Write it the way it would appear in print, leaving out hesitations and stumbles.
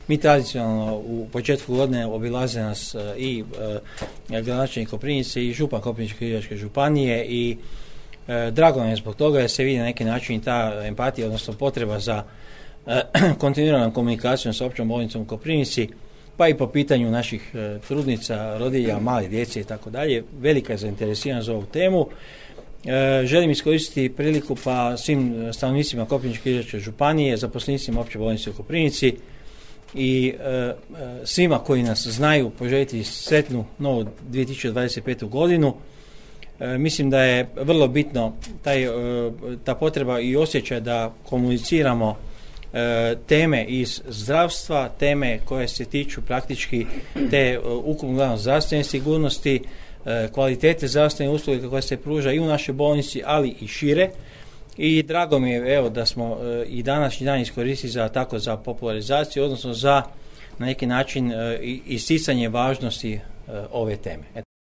Mi tradicionalno u početku godine obilaze nas i gradonačelnik Koprivnice i župan Koprivničko-križevačke županije i drago nam je zbog toga jer se vidi na neki način ta empatija, odnosno potreba za kontinuiranom komunikacijom sa općom bolnicom u Koprivnici, pa i po pitanju naših trudnica, rodilja, male djece i tako dalje. Velika je zainteresiranost za ovu temu. Želim iskoristiti priliku pa svim stanovnicima Koprivničko-križevačke županije, zaposlenicima opće bolnice u Koprivnici i svima koji nas znaju poželjeti sretnu novu 2025. godinu. Mislim da je vrlo bitno ta potreba i osjećaj da komuniciramo teme iz zdravstva, teme koje se tiču praktički te ukupno gledano zdravstvene sigurnosti, kvalitete zdravstvene usluge koje se pruža i u našoj bolnici, ali i šire. I drago mi je da smo i današnji dan iskoristili za popularizaciju, odnosno za na neki način isticanje važnosti ove teme.